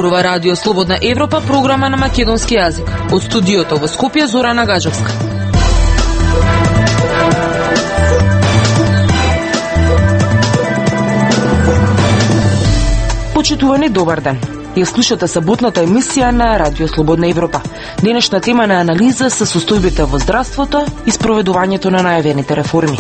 Зборува Радио Слободна Европа, програма на македонски јазик. Од студиото во Скопје Зорана Гаџевска. Почитувани, добар ден. Ја слушате саботната емисија на Радио Слободна Европа. Денешна тема на анализа се состојбите во здравството и спроведувањето на најавените реформи.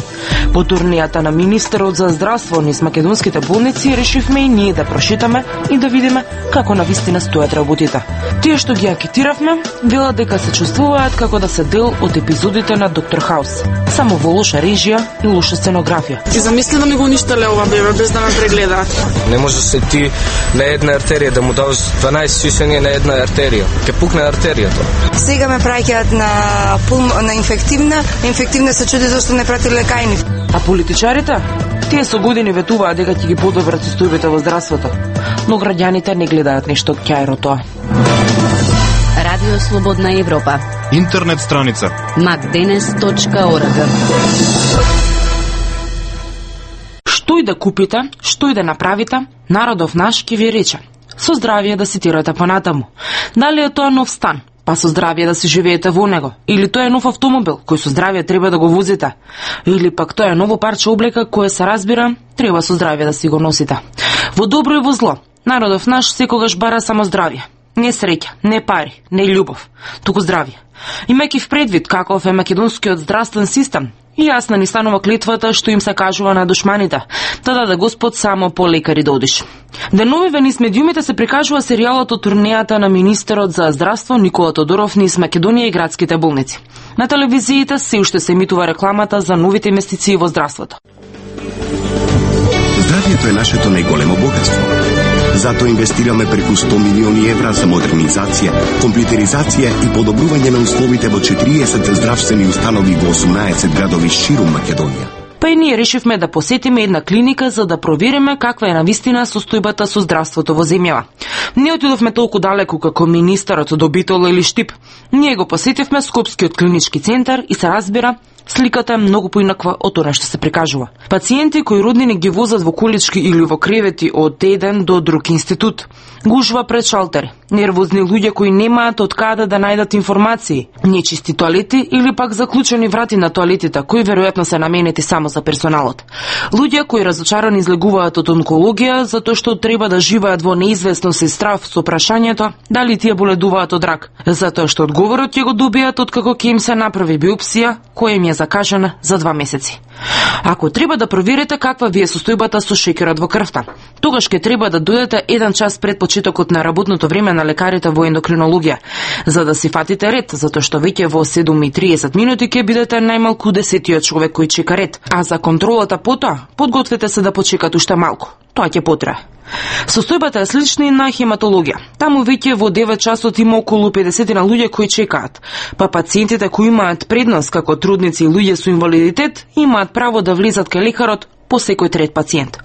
По турнијата на министерот за здравство низ македонските болници решивме и ние да прошетаме и да видиме како навистина стојат работите. Тие што ги анкетиравме велат дека се чувствуваат како да се дел од епизодите на Доктор Хаус, само во лоша режија и лоша сценографија. Ти замисли да ми го уништеле ова бебе без да ме прегледаат. Не може се ти на една артерија да му дадеш 12 сисања на една артерија. Ке пукне артеријата. Сега ме праќаат на инфективна се чуди зашто не прати лекајни. А политичарите? Тие со години ветуваат дека ќе ги подобрат состојбите во здравството, но граѓаните не гледаат нешто ќајро тоа. Радио Слободна Европа. Интернет страница macdenes.org. Што и да купите, што и да направите, народов наш ќе ви рече: со здравје да ситирате понатаму. Дали е тоа нов стан, па со здравје да си живеете во него, или тоа е нов автомобил кој со здравје треба да го возите, или пак тоа е ново парче облека кое се разбира треба со здравје да си го носите. Во добро и во зло, народов наш секогаш бара само здравје. Не среќа, не пари, не љубов, туку здравје. Имајќи в предвид каков е македонскиот здравствен систем, и јасна ни станува клетвата што им се кажува на душманите, да даде Господ само по лекари да одиш. Деновиве низ медиумите се прикажува серијалот од турнејата на министерот за здравство Никола Тодоров низ Македонија и градските болници. На телевизиите се уште се емитува рекламата за новите инвестиции во здравството. Здравјето е нашето најголемо богатство. Затоа инвестираме преку 100 милиони евра за модернизација, компјутеризација и подобрување на условите во 40 здравствени установи во 18 градови ширум Македонија. Па и ние решивме да посетиме една клиника за да провериме каква е навистина состојбата со здравството во земјава. Не отидовме толку далеку како министерот до Битола или Штип. Ние го посетивме Скопскиот клинички центар и се разбира, сликата е многу поинаква од тоа што се прикажува. Пациенти кои роднини ги возат во колички или во кревети од еден до друг институт, гужва пред шалтери, нервозни луѓе кои немаат од каде да најдат информации, нечисти тоалети или пак заклучени врати на тоалетите, кои веројатно се наменети само за персоналот. Луѓе кои разочарани излегуваат од онкологија затоа што треба да живеат во неизвестност и страв со прашањето дали тие боледуваат од рак, затоа што одговорот ќе го добијат откако ќе им се направи биопсија која им е закажана за 2 месеци. Ако треба да проверите каква ви е состојбата со шеќерот во крвта, тогаш ќе треба да дојдете 1 час пред почетокот на работното време на лекарите во ендокринологија, за да си фатите ред, затоа што веќе во 7:30 минути ќе бидете најмалку 10-тиот човек кој чека ред, а за контролата потоа подгответе се да почекате уште малку. Тоа ќе потрае. Состојбата е слична и на хематологија. Таму веќе во 9 часот има околу 50 на луѓе кои чекаат, па пациентите кои имаат предност како трудници и луѓе со инвалидитет имаат право да влезат кај лекарот по секој трет пациент.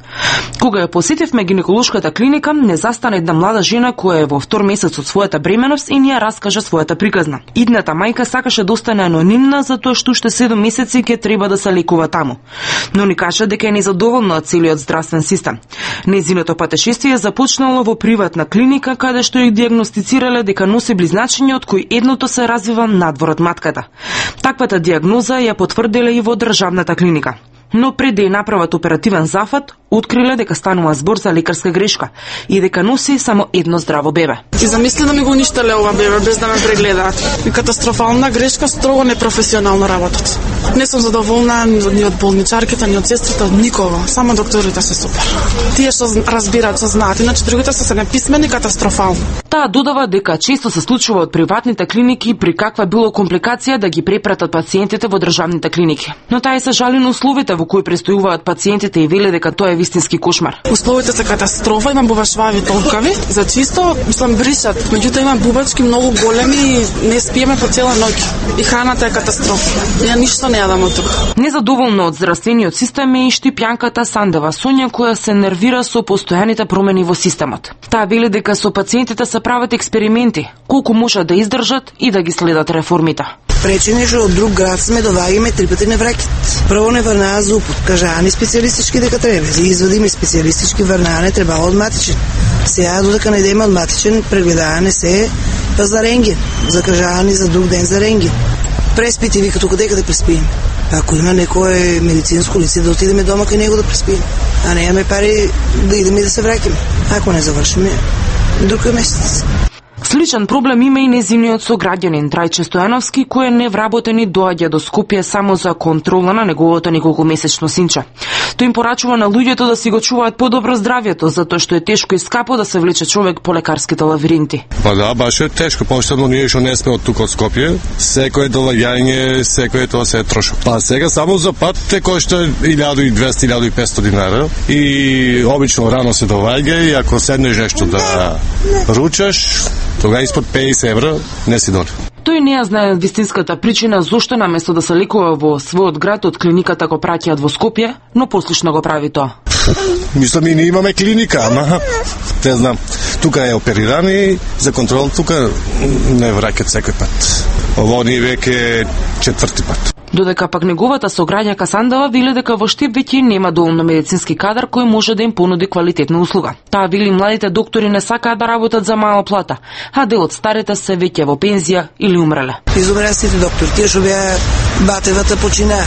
Кога ја посетивме гинеколошката клиника, не застана една млада жена која е во 2 месец од својата бременост и ни ја раскажа својата приказна. Идната мајка сакаше да остане анонимна затоа што уште 7 месеци ќе треба да се лекува таму. Но ни кажа дека е незадоволна од целиот здравствен систем. Нејзиното патешествие започнало во приватна клиника каде што ја дијагностицирале дека носи близначиња од кои едното се развива надвор од матката. Таквата дијагноза ја потврдиле и во државната клиника. Но пред да ја направат оперативен зафат, откриле дека станува збор за лекарска грешка и дека носи само едно здраво бебе. Ти замисли да ми го уништеле ова бебе без да ме прегледаат. И катастрофална грешка, строго непрофесионално работат. Не сум задоволна ни од болничарките, ни од сестрите, од никого. Само докторите се супер. Тие што разбираат, што знаат, иначе другите се неписмени, катастрофално. Таа додава дека често се случува од приватните клиники при каква било компликација да ги препратат пациентите во државните клиники. Но таа се жали на условите во кои престојуваат пациентите и веле дека тоа е вистински кошмар. Условите се катастрофа, има бубашвави толкави, за чисто бришат, меѓутоа има бубачки многу големи и не спиеме по цела ноќ. И храната е катастрофа. Ја ништо не јадам од тука. Незадоволна од здравствениот систем е и Штипјанката Сандева Сонја, која се нервира со постојаните промени во системот. Таа вели дека со пациентите се прават експерименти, колку можат да издржат и да ги следат реформите. пречење што од друг град сме доваѓаме 3 пати на враќат. Прво не врнаа зупот, кажаани специјалистички дека треба. За извадиме специјалистички врнаане треба од матичен. Сега додека не идеме од матичен, прегледаане се па за рентген, закажаани за друг ден за рентген. Преспити вика тука дека да преспиеме. Ако има некое медицинско лице да отидеме дома кај него да преспиеме, а не имаме пари да идеме и да се враќаме. Ако не завршиме, друг месец. Сличен проблем има и незиниот сограѓанин Трајче Стојановски, кој е невработен и доаѓа до Скопје само за контрола на неговото неколкумесечно синче. Тој им порачува на луѓето да си го чуваат подобро здравјето, затоа што е тешко и скапо да се влече човек по лекарските лавиринти. Па да, баш е тешко, посебно ние што не сме од тука од Скопје. Секое доаѓање, секое тоа се е трошок. Па сега само за пат те кошта 1200-1500 динара и обично рано се доаѓа и ако седнеш нешто да ручаш, тога испод 50 евра не си доли. Тој не ја знае вистинската причина зошто наместо да се лекува во својот град од клиниката го праќаат во Скопје, но послушно го прави тоа. Мислам и ние имаме клиника, ама не знам. Тука е опериран и за контрол тука не враќаат секој пат. Ово ни веќе четврти пат. Додека пак неговата сограѓака Сандава вели дека во Штип веќе нема доволно медицински кадар кој може да им понуди квалитетна услуга. Таа вели младите доктори не сакаат да работат за мала плата, а дел од старите се веќе во пензија или умреле. Изумраа сите доктори, тие што беа батевата починаа,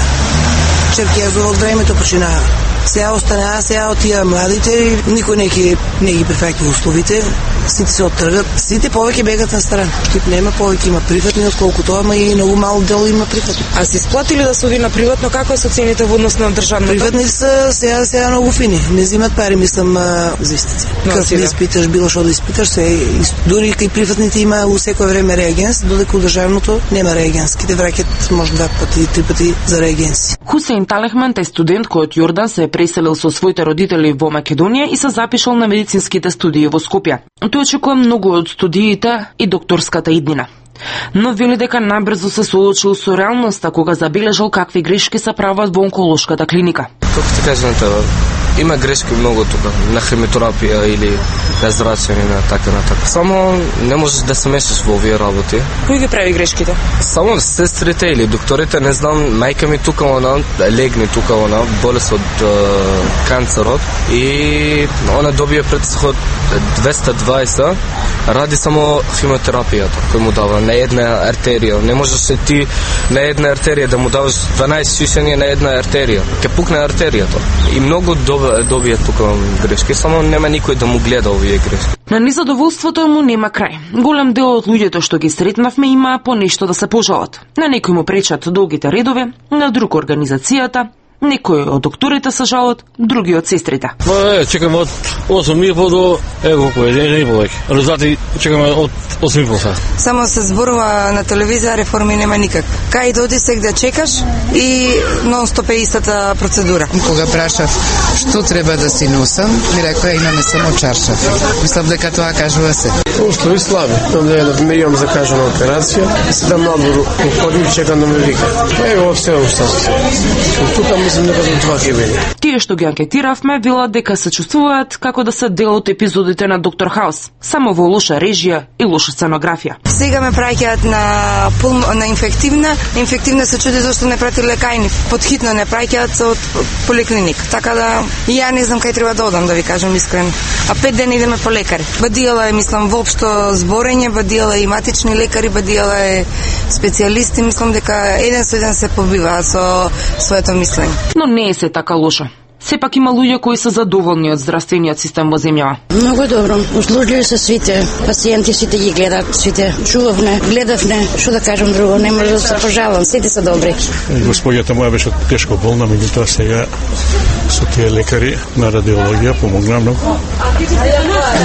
Черкезово од времето починаа. Сега останаа, сега отија младите, никој не ги прифаќа условите, сите се оттргат, сите повеќе бегат на страна. Штип нема повеќе, има приватни отколкото, ама и многу мал дел има приватни. А се исплатили да се оди на приватно, како се цените во однос на државното? Приватни се сега многу фини, не земат пари, мислам, за истици. Како да испиташ, било што да испиташ, се дури кај приватните има у секој време реагенс, додека у државното нема реагенс. Ките враќат може 2 пати, 3 пати за реагенси. Хусеин Талехман е студент кој од Јордан се преселил со своите родители во Македонија и се запишал на медицинските студии во Скопје. Тој очекува многу од студиите и докторската иднина. Но вели дека набрзо се соочил со реалноста кога забележал какви грешки се прават во онколошката клиника. Како ти кажам тоа, има грешки многу тука, на хемиотерапија или на зрачење на така на така. Само не можеш да се мешаш во овие работи. Кој ги прави грешките? Само сестрите или докторите, не знам, мајка ми тука она, легни тука она, болест од канцерот и она добија претсход 220, ради само хемиотерапијата кој му дава на една артерија. Не можеш ти на една артерија да му даваш 12 сишење на една артерија. Ке пукне артеријата. И многу добија тука грешки, само нема никој да му гледа овие грешки. На незадоволството му нема крај. Голем дел од луѓето што ги сретнавме има по нешто да се пожалат. На некој му пречат долгите редове, на друг организацијата, некои од докторите се жалат, други од сестрите. Чекаме од 8:30 до колку е, не повеќе. Резултати чекаме од 8:30. Само се зборува на телевизија, реформи нема никак. Кај да оди сега да чекаш и нон-стоп е истата процедура. Кога прашав што треба да си носам, ми рекоа имаме само чаршафи. Мислам дека тоа кажува се. Ушто и слаби. Ме имам закажана операција, седам надвор, ходим и чекам да ме вика. Ево се уште. Тука мислам дека тоа ќе биде. Тие што ги анкетиравме велат дека се чувствуваат како да се дел од епизодите на Доктор Хаус, само во лоша режија и лоша сценографија. Сега ме праќаат на инфективна се чуди зашто не прати лекајни. Подхитно не праќаат од поликлиник. Така да ја не знам кај треба да одам, да ви кажам искрено. А 5 дена идеме по лекари. Бадиела е, мислам, воопшто зборење, бадиела е и матични лекари, бадиела е специјалисти, мислам дека еден со еден се побива со своето мислење. Но не е се така лошо. Сепак има луѓе кои се задоволни од здравствениот систем во земјава. Многу добро. Услужливи се сите, пациенти сите ги гледат, сите чувавме, гледавме, што да кажам друго, не може да се пожалам, сите се добри. Господјата моја беше тешко болна, меѓутоа сега со тие лекари на радиологија помогна многу.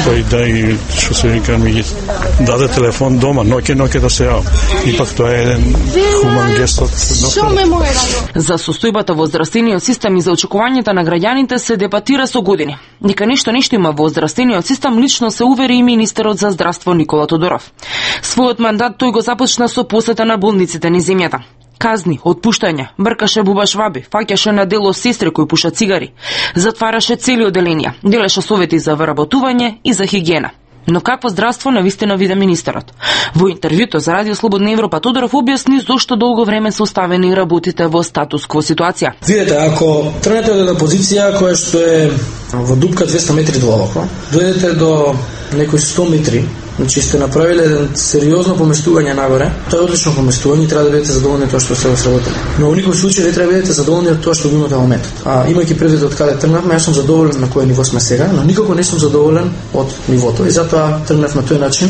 Тој да и што се вика ми ги даде телефон дома, ноќе да се јавам. Ипак тоа е еден хуман гест од доктор. За состојбата во здравствениот систем и за очекувањата на граѓаните се дебатира со години. Нека нешто има во здравствениот систем, лично се увери и министерот за здравство Никола Тодоров. Својот мандат тој го започна со посета на болниците низ земјата. Казни, отпуштања, бркаше бубашваби, фаќаше на дело сестри кои пушат цигари, затвараше цели оделенија, делеше совети за вработување и за хигиена. Но какво здравство навистина виде министерот? Во интервјуто за Радио Слободна Европа Тодоров објасни зошто долго време се оставени и работите во статус-кво ситуација. Видете, ако тргнете од една позиција која што е во дупка 200 метри длабоко, дојдете до некои 100 метри, значи сте направиле еден сериозно поместување нагоре, тоа е одлично поместување и треба да бидете задоволни тоа што сте сработили. Но во никој случај не треба да бидете задоволни од тоа што го имате во моментот. Имајќи предвид од каде тргнавме, јас сум задоволен на кој ниво сме сега, но никако не сум задоволен од нивото и затоа тргнав на тој начин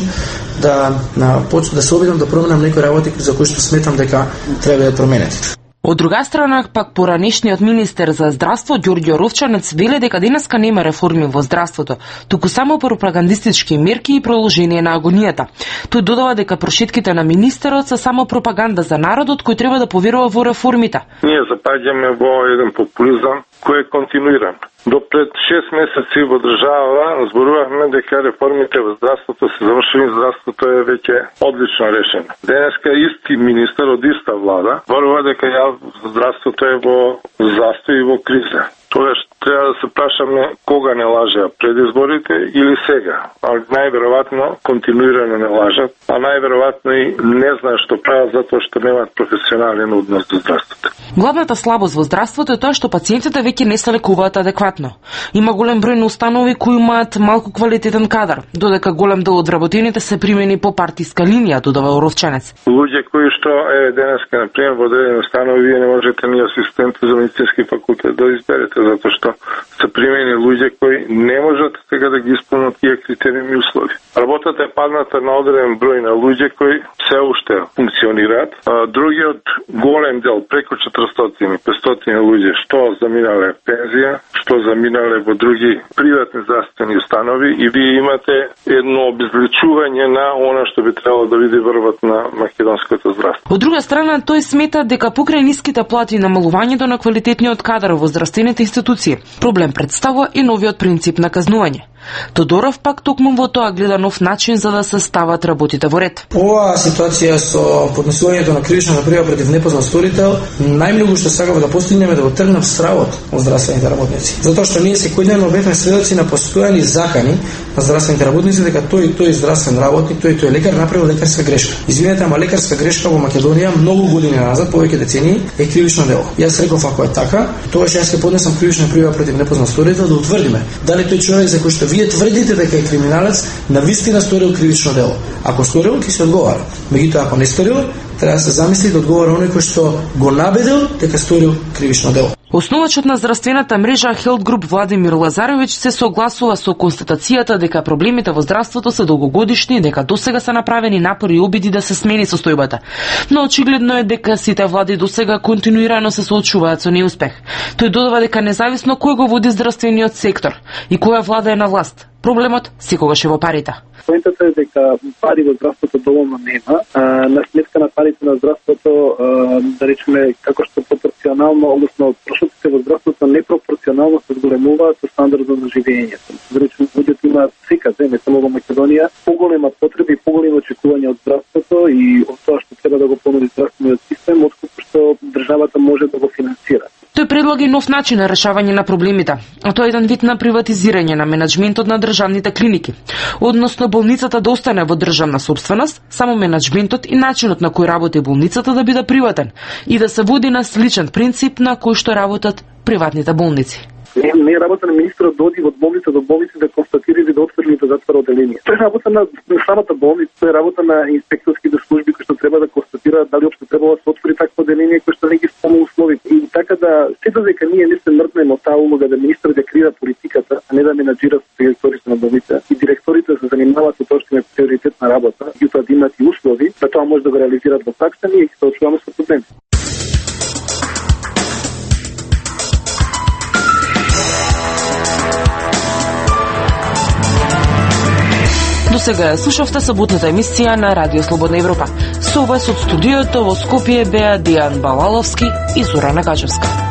да се обидам да променам некои работи за кои што сметам дека треба да променети. Од друга страна, пак поранешниот министер за здравство Ѓорѓе Ровчанец веле дека денеска нема реформи во здравството, туку само пропагандистички мерки и продолжение на агонијата. Тој додава дека прошетките на министерот се само пропаганда за народот кој треба да поверува во реформите. Ние запаѓаме во еден популизам кој е континуиран. До пред 6 месеци во држава зборувавме дека реформите во здравството се завршени, здравството е веќе одлично решено. Денеска исти министер од иста влада зборува дека здравството е во застој и во криза. Тогаш треба да се прашаме кога не лажеа, пред изборите или сега. Најверојатно континуирано не лажат, а најверојатно и не знаат што прават затоа што немаат професионален однос до здравството. Главната слабост во здравството е тоа што пациентите веќе не се лекуваат адекватно. Има голем број на установи кои имаат малку квалитетен кадар, додека голем дел од работените се примени по партиска линија, додава Ровчанец. Луѓе кои што денеска на пример во одредени установи вие не можете ни асистент за медицински факултет да изберете затоа што се примени луѓе кои не можат сега да ги исполнат тие критериуми и услови. Работата е падната на одреден број на луѓе кои се уште функционираат. Другиот голем дел, преку 400-500 луѓе, што заминале пензија, што заминале во други приватни здравствени установи и вие имате едно обезличување на она што би требало да биде врвот на македонското здравство. Од друга страна, тој смета дека покрај ниските плати и намалувањето на квалитетниот кадар во здравствените институции, проблем представува и новиот принцип на казнување. Тодоров пак токму во тоа гледа нов начин за да се стават работите во ред. Оваа ситуација со поднесувањето на кривична пrijava против непознат сторител, најмногу што сакаме да постигнеме да го тргнем стравот од здравствените работници. Затоа што ние секојдневно бевме сведоци на постојани закани на здравствените работници дека тој здравствен работник, тој лекар направил лекарска грешка. Извинете, ама лекарска грешка во Македонија многу години назад, повеќе децении, е кривично дело. Јас реков ако е така, тогаш јас ќе поднесам кривична пrijava против непознат сторител да утврдиме дали тој човек за кој што вие тврдите дека е криминалец навистина сторил кривично дело. Ако сторил, ќе се одговара. Меѓутоа, ако не сторил, треба да се замисли да одговара оној кој што го набедил дека сторил кривично дело. Основачот на здравствената мрежа Health Group Владимир Лазарович се согласува со констатацијата дека проблемите во здравството се долгогодишни и дека досега се направени напори и обиди да се смени состојбата. Но очигледно е дека сите влади досега континуирано се соочуваат со неуспех. Тој додава дека независно кој го води здравствениот сектор и која влада е на власт, проблемот секогаш е во парите. Поентата е дека пари во здравството доволно нема. На сметка на парите на здравството, да речеме, како што пропорционално, односно трошоците во здравството непропорционално се зголемуваат со стандардот на живеењето. Да речеме, луѓето имаат секаде, не само во Македонија, поголема потреби и поголеми очекувања од здравството и од тоа што треба да го понуди здравствениот систем, отколку што државата може да го финансира. Тој предлага и нов начин на решавање на проблемите, а тоа е еден вид на приватизирање на менаџментот на државните клиники. Односно, болницата да остане во државна собственост, само менаџментот и начинот на кој работи болницата да биде приватен и да се води на сличен принцип на кој што работат приватните болници. Не е работа на министерот да оди од болница до болница да констатира или да отвори или да затвора оделение. Тоа е работа на самата болница, тоа е работа на инспекторските служби кои што треба да констатираат дали општо треба да се отвори такво оделение кој што не ги исполнува условите. И така да се додека ние не се мрднеме од таа улога да министерот да креира политиката, а не да менаџира директорите на болница и директорите се занимаваат со тоа што е приоритетна работа, и тоа да имаат и услови, да тоа може да го реализираат во пракса, ние ќе се очуваме со проблеми. До сега ја слушавте саботната емисија на Радио Слободна Европа. Со вас од студиото во Скопје беа Дијан Балаловски и Зорана Гачевска.